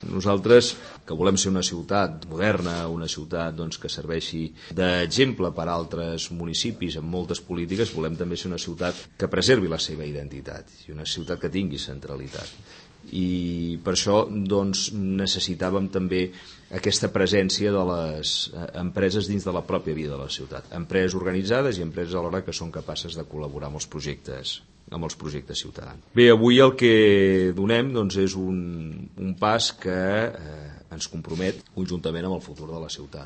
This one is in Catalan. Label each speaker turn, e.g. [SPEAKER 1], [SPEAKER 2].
[SPEAKER 1] Nosaltres, que volem ser una ciutat moderna, una ciutat que serveixi d'exemple per a altres municipis amb moltes polítiques, volem també ser una ciutat que preservi la seva identitat i una ciutat que tingui centralitat. I per això necessitàvem també aquesta presència de les empreses dins de la pròpia vida de la ciutat, empreses organitzades i empreses alhora que són capaces de col·laborar amb els projectes ciutadans. Bé, avui el que donem és un pas que ens compromet conjuntament amb el futur de la ciutat.